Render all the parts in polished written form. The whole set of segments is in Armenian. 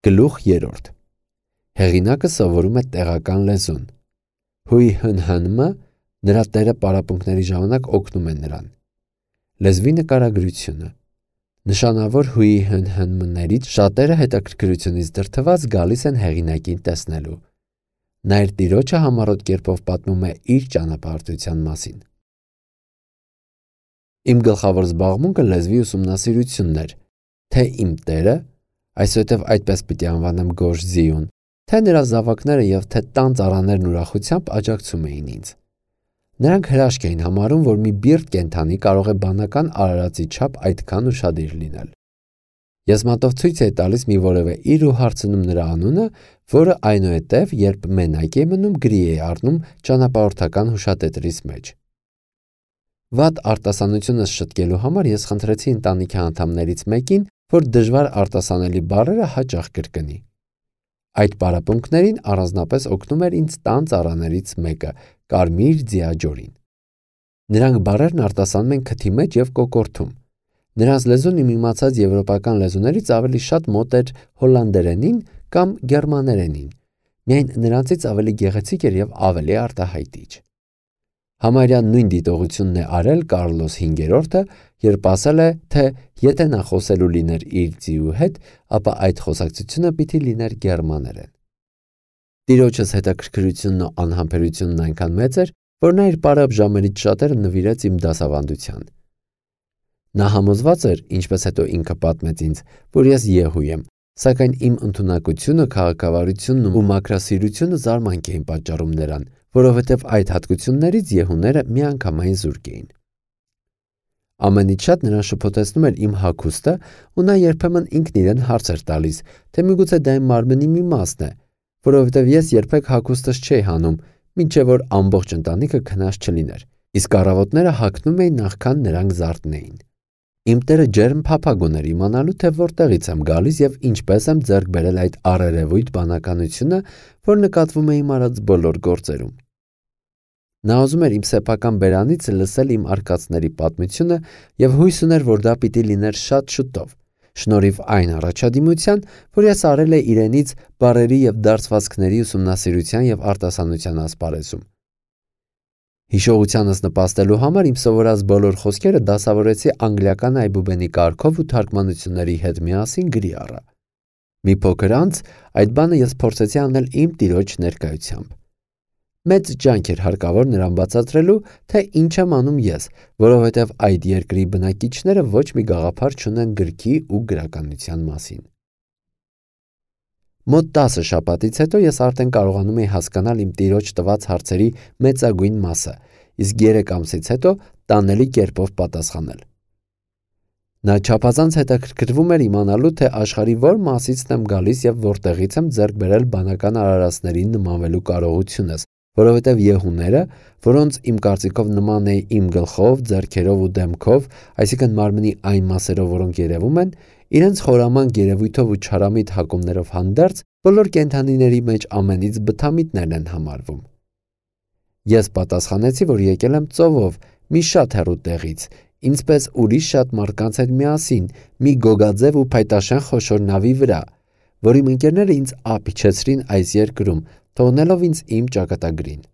Գլուխ 3 Հեղինակը սովորում է տեղական լեզուն։ Հույ հնհնմը նրա տերը պարապմունքների ժամանակ օգնում է նրան։ Լեզվի նկարագրությունը նշանավոր հույի հնհնմներից շատերը հետաքրքրությունից դրդված գալիս են հեղինակին տեսնելու։ Նա իր տիրոջը համառոտ կերպով պատմում է իր ճանապարհորդության մասին։ Իմ գլխավոր զբաղմունքը լեզվի ուսումնասիրությունն էր, թե իմ տերը, այսուհետև այդպես պիտի անվանեմ գորշ ձիուն, թե նրա զավակները և թե տան ծառաներն ուրախությամբ աջակցում էին ինձ։ Նրանք հրաշք էին համարում, որ մի բիրտ կենդանի կարող է բանական արարածի չափ այդքան ուշադիր լինել։ Ես մատով ցույց էի տալիս մի որևէ իր ու հարցնում նրա անունը, որը այնուհետև, երբ մենակ է մնում, գրի է առնում ճանապարհորդական հուշատետրիս մեջ։ Վատ արտասանությունս շտկելու համար ես խնդրեցի ընտանիքի անդամներից մեկին, որ դժվար արտասանելի բառերը հաճախ կրկնի։ Այդ պարապմունքներին առանձնապես օգնում էր ինձ տան ծառաներից մեկը՝ Կարմիր Ձիաջորին։ Նրանք բառերն արտասանում են քթի մեջ և կոկորդում։ Նրանց լեզուն իմ իմացած եվրոպական լեզուներից ավելի շատ մոտ էր հոլանդերենին կամ գերմաներենին, միայն նրանցից ավելի գեղեցիկ էր և ավելի արտահայտիչ։ Համարյա նույն դիտողությունն է արել Կարլոս 5-րդը, երբ ասել է, թե եթե նա խոսելու լիներ իր ձիու հետ, ապա այդ խոսակցությունը պիտի լիներ գերմաներեն։ Տիրոջս հետաքրքրությունն ու անհամբերությունն այնքան մեծ էր, որ նա իր պարապ ժամերից շատերը նվիրեց իմ դասավանդության։ Նա համոզված էր, ինչպես հետո ինքը պատմեց ինձ, որ ես եղու եմ, սակայն իմ ընդունակությունը, քաղաքավարությունն ու մաքրասիրությունը զարմանք էին պատճառում նրան, որովհետև այդ հատկություններից եղուները միանգամայն զուրկ էին։ Ամենից շատ նրան շփոթեցնում էր իմ հագուստը, ու նա երբեմն ինքն իրեն հարց էր տալիս, թե միգուցե դա իմ մարմնի մի մասն է, որովհետև ես երբեք հագուստս չէի հանում, մինչև որ ամբողջ ընտանիքը քնած չլիներ, իսկ առավոտները հագնում էի նախքան նրանք զարթնեին։ Իմ տերը ջերմ փափագ ուներ իմանալու, թե որտեղից եմ գալիս և ինչպես եմ ձեռք բերել այդ առերևույթ բանականությունը, որ նկատվում է իմ արած բոլոր գործերում։ Նա ուզում էր իմ սեփական բերանից լսել իմ արկածների պատմությունը և հույս ուներ, որ դա պիտի լիներ շատ շուտով, շնորհիվ այն առաջադիմության, որ ես արել էի իրենից բառերի և դարձվածքների ուսումնասիրության և արտասանության ասպարեզում։ Հիշողությանս նպաստելու համար իմ սովորած բոլոր խոսքերը դասավորեցի անգլիական այբուբենի կարգով ու թարգմանությունների հետ միասին գրի առա։ Մի փոքր անց այդ բանը ես փորձեցի անել իմ տիրոջ ներկայությամբ։ Մեծ ջանք էր հարկավոր նրան բացատրելու, թե ինչ եմ անում ես, որովհետև այդ երկրի բնակիչները ոչ մի գաղափար չունեն գրքի ու գրականության մասին։ Մոտ 10 շաբաթից հետո ես արդեն կարողանում էի հասկանալ իմ տիրոջ տված հարցերի մեծագույն մասը, իսկ 3 ամսից հետո տանելի կերպով պատասխանել։ Նա չափազանց հետաքրքրվում էր իմանալու, թե աշխարհի որ մասից եմ գալիս և որտեղից եմ ձեռք բերել բանական արարածներին նմանվելու կարողությունս, որովհետև եղուները, որոնց իմ կարծիքով նման էի իմ գլխով, ձեռքերով ու դեմքով, այսինքն մարմնի այն մասերով, որոնք երևում են, իրենց խորամանկ երևույթով ու չարամիտ հակումներով հանդերձ, բոլոր կենդանիների մեջ ամենից բթամիտներն են համարվում։ Ես պատասխանեցի, որ եկել եմ ծովով, մի շատ հեռու տեղից, ինձպես ուրիշ շատ մարդկանց հետ միասին, մի գոգաձև ու փայտաշեն խոշոր նավի վրա, որ իմ ընկերները ինձ ափ իջեցրին այս երկրում, թողնելով ինձ իմ ճակատագրին։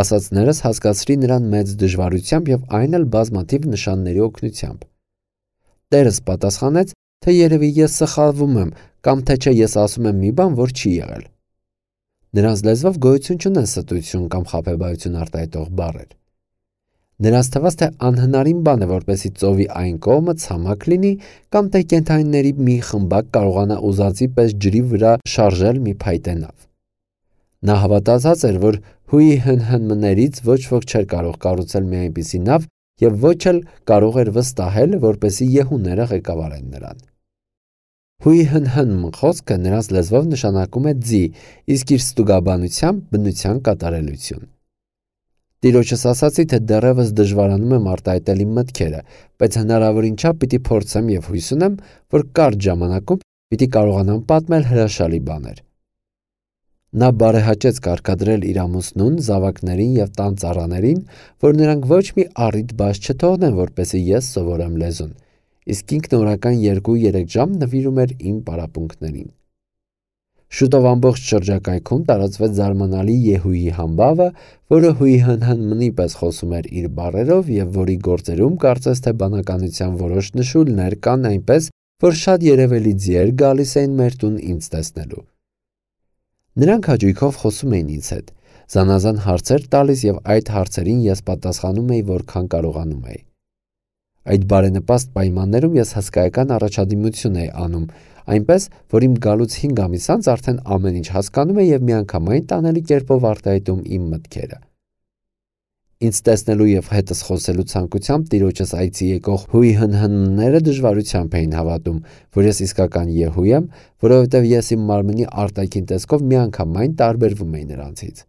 Ասածներս հասկացրի նրան մեծ դժվարությամբ և այն էլ բազմաթիվ նշանների օգնությամբ։ Տերս պատասխանեց, թե երևի ես սխալվում եմ, կամ թե չէ ես ասում եմ մի բան, որ չի եղել։ Նրանց լեզվով գոյություն չունեն ստություն կամ խաբեբայություն արտահայտող բառեր։ Նրանց թվաց, թե անհնարին բան է, որպեսզի ծովի այն կողմը ցամաք լինի, կամ թե կենդանիների մի խմբակ կարողանա ուզածի պես ջրի վրա շարժել մի փայտե նավ։ Նա հավատացած էր, որ հույի հնհնմներից ոչ ոք չէր կարող կառուցել մի այնպիսի նավ և ոչ էլ կարող էր վստահել, որպեսզի եղուները ղեկավարեն նրան։ Հույի հնհնմ խոսքը նրանց լեզվով նշանակում է ձի, իսկ իր ստուգաբանությամբ բնության կատարելություն։ Տիրոջս ասացի, թե դեռևս դժվարանում եմ արտահայտել իմ մտքերը, բայց հնարավորին չափ պիտի փորձեմ և հույս ունեմ, որ կարճ ժամանակում պիտի կարողանամ պատմել հրաշալի բաներ։ Նա բարեհաճեց կարգադրել իր ամուսնուն, զավակներին և տան ծառաներին, որ նրանք ոչ մի առիթ բաց չթողնեն, որպեսզի ես սովորեմ լեզուն, իսկ ինքն օրական 2-3 ժամ նվիրում էր իմ պարապմունքներին։ Շուտով ամբողջ շրջակայքում տարածվեց զարմանալի Եհուի համբավը, որը հույհնհնմնի պես խոսում էր իր բառերով եւ որի գործերում կարծես թե բանականության որոշ նշույլներ կան այնպես, որ շատ երևելի ձիեր գալիս էին մեր տուն ինձ տեսնելու։ Նրանք հաճույքով խոսում էին ինձ հետ, զանազան հարցեր տալիս եւ այդ հարցերին ես պատասխանում էի որքան կարողանում էի։ Այդ բարենպաստ պայմաններում ես հսկայական առաջադիմություն էի անում, այնպես, որ իմ գալուց 5 ամիս անց արդեն ամեն ինչ հասկանում էի եւ միանգամայն տանելի կերպով արտահայտում իմ մտքերը։ Ինձ տեսնելու եւ հետս խոսելու ցանկությամբ տիրոջս այցի եկող հույհնհնները դժվարությամբ էին հավատում, որ ես իսկական Եհու եմ, որովհետեւ ես իմ մարմնի արտաքին տեսքով միանգամայն տարբերվում էի նրանցից։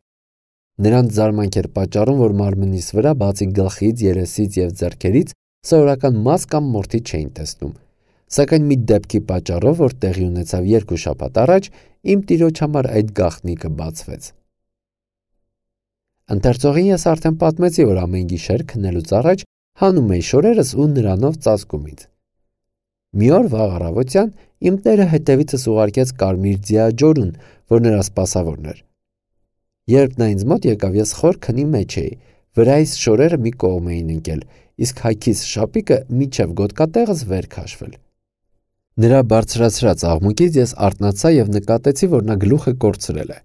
Նրանց զարմանք էր պատճառում, որ մարմնիս վրա բացի գլխից, երեսից եւ ձեռքերից սովորական մաս կամ մորթի չէին տեսնում, սակայն մի դեպքի պատճառով, որ տեղի ունեցավ 2 շաբաթ առաջ, իմ տիրոջ համար այդ գաղտնիքը բացվեց։ Ընթերցողին ես արդեն պատմեցի, որ ամեն գիշեր քնելուց առաջ հանում էի շորերս ու նրանով ծածկում ինձ։ Մի օր վաղ առավոտյան իմ տերը հետևիցս ուղարկեց կարմիր ձիաջորուն, որ նրա սպասավորն էր։ Երբ նա ինձ մոտ եկավ, ես խոր քնի մեջ էի, վրայիս շորերը մի կողմ էին ընկել, իսկ հայքիս շապիկը միջև գոտկատեղս վեր քաշվել։ Նրա բարձրացրած աղմուկից ես արթնացա եւ նկատեցի, որ նա գլուխը կորցրել է։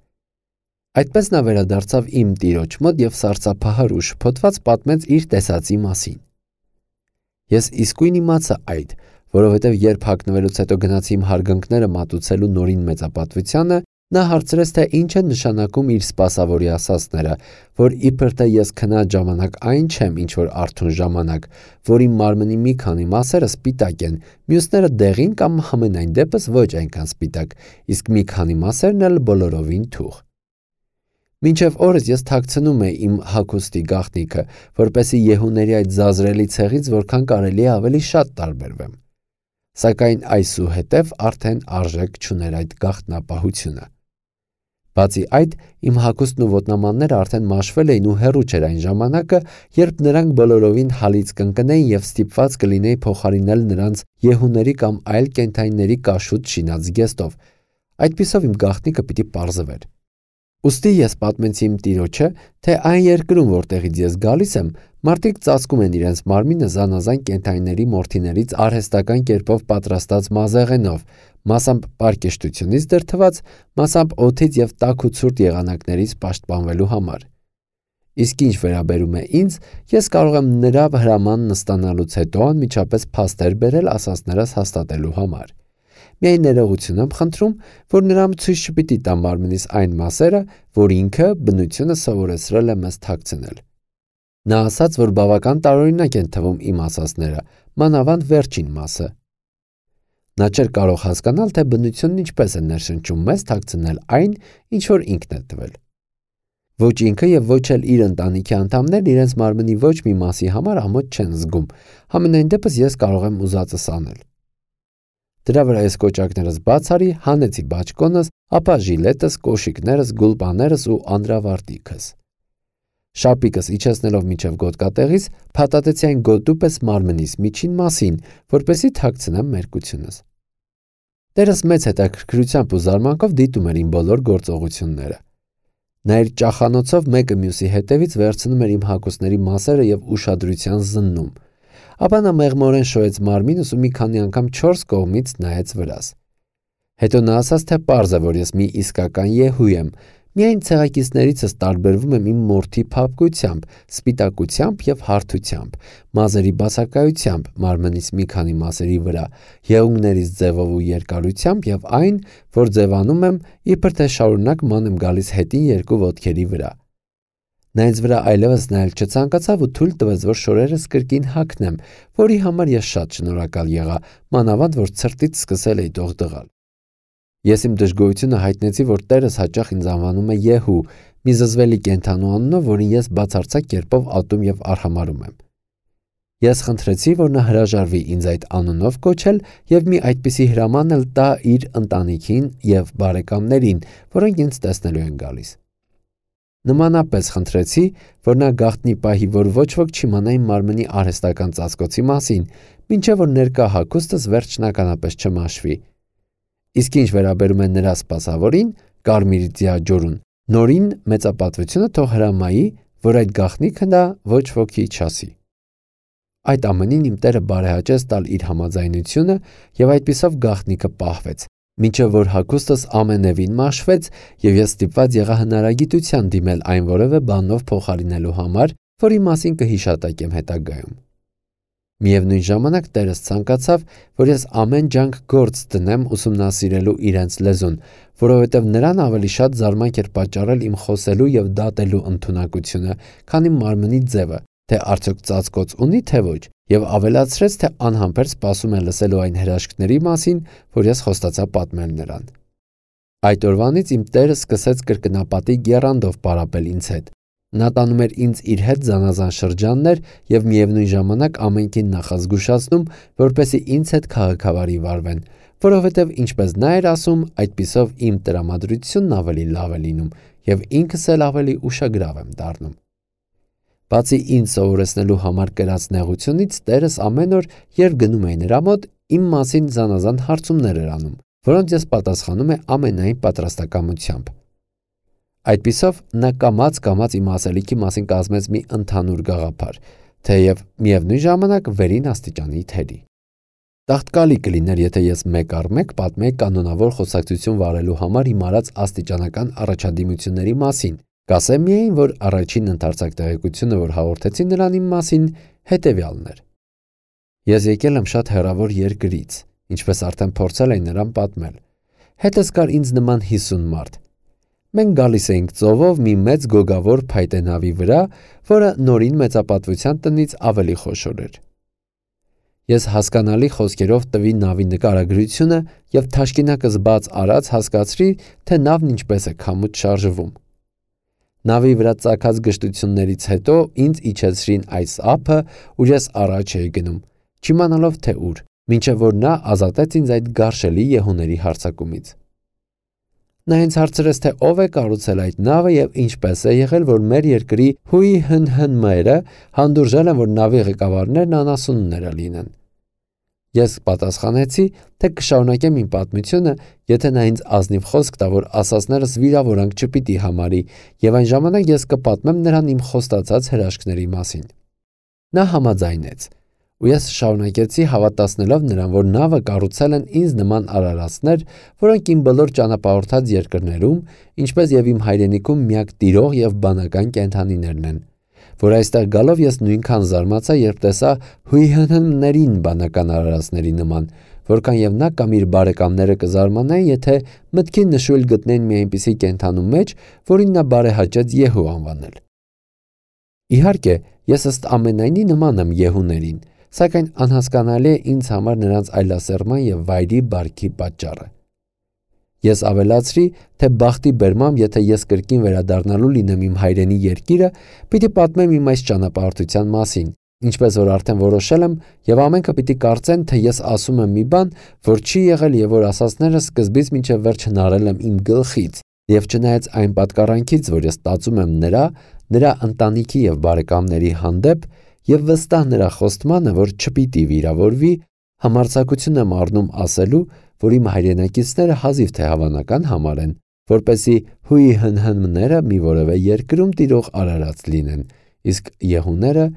Այդպես նա վերադարձավ իմ տիրոջ մոտ եւ սարսափահար ու շփոթված պատմեց իր տեսածի մասին։ Ես իսկույն իմացա այդ, որովհետեւ երբ հագնվելուց հետո գնացի իմ հարգանքները մատուցելու նորին մեծապատվությանը, նա հարցրեց, թե ինչ են նշանակում իր սպասավորի ասածները, որ իբր թե ես քնած ժամանակ այն չեմ, ինչ որ արթուն ժամանակ, որ իմ մարմնի մի քանի մասերը սպիտակ են, մյուսները դեղին կամ համենայն դեպս ոչ այնքան սպիտակ, իսկ մի քանի մասերն էլ բոլորովին թուխ։ Մինչև օրս ես թաքցնում էի իմ հագուստի գաղտնիքը, որպեսզի Եհուների այդ զազրելի ցեղից որքան կարելի է ավելի շատ տարբերվեմ։ Սակայն այսուհետև արդեն արժեք չուներ այդ գաղտնապահությունը։ Բացի այդ, իմ հագուստն ու ոտնամանները արդեն մաշվել էին ու հեռու չէր այն ժամանակը, երբ նրանք բոլորովին հալից կընկնեին եւ ստիպված կլինեի փոխարինել նրանց Եհուների կամ այլ կենդանիների կաշուտ շինած զգեստով։ Այդպիսով իմ գաղտնիքը պիտի պարզվեր։ Ուստի ես պատմեցի իմ տիրոջը, թե այն երկրում, որտեղից ես գալիս եմ, մարդիկ ծածկում են իրենց մարմինը զանազան կենդանիների մորթիներից արհեստական կերպով պատրաստած մազեղենով, մասամբ պարկեշտությունից դրդված, մասամբ օդից եւ տաք ու ցուրտ եղանակներից պաշտպանվելու համար։ Իսկ ինչ վերաբերում է ինձ, ես կարող եմ նրա հրամանն ստանալուց հետո անմիջապես փաստեր բերել ասածներս հաստատելու համար։ Միայն ներողություն եմ խնդրում, որ նրան ցույց չպիտի տամ մարմնիս այն մասերը, որ ինքը բնությունը սովորեցրել է մեզ թաքցնել։ Նա ասաց, որ բավական տարօրինակ են թվում իմ ասածները, մանավանդ վերջին մասը։ Նա չէր կարող հասկանալ, թե բնությունն ինչպես է ներշնչում մեզ թաքցնել այն, ինչ որ ինքն է տվել։ Ոչ ինքը եւ ոչ էլ իր ընտանիքի անդամներն իրենց մարմնի ոչ մի մասի համար ամոթ չեն զգում, համենայն դեպս ես կարող եմ ուզածս անել։ Դրա վրա ես կոճակներս բաց արի, հանեցի բաճկոնս, ապա ժիլետս, կոշիկներս, գուլպաներս ու անդրավարտիքս։ Շապիկս իջեցնելով միջև գոտկատեղից, փաթաթեցի այն գոտու պես մարմնիս միջին մասին, որպեսզի թաքցնեմ մերկությունս։ Տերս մեծ հետաքրքրությամբ ու զարմանքով դիտում էր իմ բոլոր գործողությունները։ Նա իր ճախանոցով մեկը մյուսի հետևից վերցնում էր իմ հագուստների մասերը եւ ուշադրության զննում։ Ապա նա մեղմորեն շոյեց մարմինս ու մի քանի անգամ 4 կողմից նայեց վրաս։ Հետո նա ասաց, թե պարզ է, որ ես մի իսկական Եհու եմ, միայն ցեղակիցներիցս տարբերվում եմ իմ մորթի փափկությամբ, սպիտակությամբ եւ հարթությամբ, մազերի բացակայությամբ, մարմնից մի քանի մասերի վրա, եղունգներից ձևով ու երկարությամբ եւ այն, որ ձևանում եմ, իբր թե շարունակ ման եմ գալիս հետին 2 ոտքերի վրա։ Նա ինձ վրա այլևս նայել չցանկացավ ու թույլ տվեց, որ շորերս կրկին հագնեմ, որի համար ես շատ շնորհակալ եղա, մանավանդ որ ցրտից սկսել էի դողդղալ։ Ես իմ դժգոհությունը հայտնեցի, որ Տերս հաճախ ինձ անվանում է Եհու, մի զզվելի կենդանու անունով, որին ես բացարձակ կերպով ատում եւ արհամարհում եմ։ Ես խնդրեցի, որ նա հրաժարվի ինձ այդ անունով կոչել եւ մի այդպիսի հրաման էլ տա իր ընտանիքին եւ բարեկամներին, որոնք ինձ տեսնելու են գալիս։ Նմանապես խնդրեցի, որ նա գաղտնի պահի, որ ոչ ոք չիմանա իմ մարմնի արհեստական ծածկոցի մասին, մինչև որ ներկա հագուստս վերջնականապես չմաշվի։ Իսկ ինչ վերաբերում է նրա սպասավորին, Կարմիր ձիաջորուն, նորին մեծապատվությունը թող հրամայի, որ այդ գաղտնիքը նա ոչ ոքի չասի։ Այդ ամենին իմ Տերը բարեհաճեց տալ իր համաձայնությունը, եւ այդպիսով գաղտնիքը պահվեց, մինչև որ հագուստս ամենևին մաշվեց, եւ ես ստիպված եղա հնարագիտության դիմել այն որևէ բանով փոխարինելու համար, որի մասին կհիշատակեմ հետագայում։ Միևնույն ժամանակ Տերս ցանկացավ, որ ես ամեն ջանք գործ դնեմ ուսումնասիրելու իրենց լեզուն, որովհետև նրան ավելի շատ զարմանք էր պատճառել իմ խոսելու եւ դատելու ընդունակությունը, քան իմ մարմնի ձևը, թե արդյոք ծածկոց ունի թե ոչ, եւ ավելացրեց, թե անհամբեր սպասում է լսելու այն հրաշքների մասին, որ ես խոստացա պատմել նրան։ Այդ օրվանից իմ Տերը սկսեց կրկնապատի եռանդով պարապել ինձ հետ։ Նա տանում էր ինձ իր հետ զանազան շրջաններ եւ միևնույն ժամանակ ամենքին նախազգուշացնում, որպեսզի ինձ հետ քաղաքավարի վարվեն, որովհետեւ ինչպես նա էր ասում, այդպիսով իմ տրամադրությունն ավելի լավ է լինում եւ ինքս էլ ավելի ուշագրավ եմ դառնում։ Բացի ինձ սովորեցնելու համար կրած նեղությունից, Տերս ամեն օր, երբ գնում էի նրա մոտ, իմ մասին զանազան հարցումներ էր անում, որոնց ես պատասխանում եմ ամենայն պատրաստակամությամբ։ Այդպիսով նա կամաց իմ ասելիքի մասին կազմեց մի ընդհանուր գաղափար, թեև միևնույն ժամանակ վերին աստիճանի թերի։ Տաղտկալի կլիներ, եթե ես մեկ առ մեկ պատմեի կանոնավոր խոսակցություն վարելու համար իմ արած աստիճանական առաջադիմությունների մասին, կասեմ միայն, որ առաջին ընդարձակ տեղեկությունը, որ հաղորդեցի նրան իմ մասին, հետևյալն էր։ Ես եկել եմ շատ հեռավոր երկրից, ինչպես արդեն փորձել էի նրան պատմել։ Հետս կար ինձ նման 50 մարդ։ Մենք գալիս էինք ծովով մի մեծ գոգավոր փայտե նավի վրա, որը նորին մեծապատվության տնից ավելի խոշոր էր։ Ես հասկանալի խոսքերով տվի նավի նկարագրությունը եւ թաշկինակս բաց արած հասկացրի, թե նավն ինչպես է քամուց շարժվում։ Նավի վրա ծագած գժտություններից հետո ինձ իջեցրին այս ափը, ուր ես առաջ էի գնում, չիմանալով թե ուր, մինչև որ նա ազատեց ինձ այդ գարշելի եհուների հարձակումից։ Նա ինձ հարցրեց, թե ով է կառուցել այդ նավը եւ ինչպես է եղել, որ մեր երկրի հույհնհնմերը հանդուրժել են, որ նավի ղեկավարներն անասունները լինեն։ Ես պատասխանեցի, թե կշարունակեմ իմ պատմությունը, եթե նա ինձ ազնիվ խոսք տա, որ ասածներս վիրավորանք չպիտի համարի, եւ այն ժամանակ ես կպատմեմ նրան իմ խոստացած հրաշքների մասին։ Նա համաձայնեց, ու ես շարունակեցի հավատացնելով նրան, որ նավը կառուցել են ինձ նման արարածներ, որոնք իմ բոլոր ճանապարհորդած երկրներում, ինչպես եւ իմ հայրենիքում միակ տիրող եւ բանական կենդանիներն են, որ այստեղ գալով ես նույնքան զարմացա, երբ տեսա հույհնհնմներին բանական արարածների նման, որքան եւ նա կամ իր բարեկամները կզարմանային, եթե մտքին նշույլ գտնեն մի այնպիսի կենդանու մեջ, որին նա բարեհաճեց Եհու անվանել։ Իհարկե, ես ըստ ամենայնի նման եմ Եհուներին, սակայն անհասկանալի է ինձ համար նրանց այլասերման եւ վայրի բարքի պատճառը։ Ես ավելացրի, թե բախտի բերմամբ, եթե ես կրկին վերադառնալու լինեմ իմ հայրենի երկիրը, պիտի պատմեմ իմ այս ճանապարհորդության մասին, ինչպես որ արդեն որոշել եմ, եւ ամենքը պիտի կարծեն, թե ես ասում եմ մի բան, որ չի եղել եւ որ ասածները սկզբից մինչեւ վերջ հնարել եմ իմ գլխից, եւ չնայած այն պատկառանքից, որ ես ստացում եմ նրա ընտանիքի եւ բարեկամների հանդեպ, եւ վստահ նրա խոստմանը, որ չպիտի վիրավորվի, համարձակություն եմ առնում ասելու, որ իմ հայրենակիցները հազիվ թե հավանական համարեն, որպեսզի հույհնհնմները մի որևէ երկրում տիրող արարած լինեն, իսկ եհուները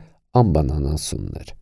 անբանանասուններ։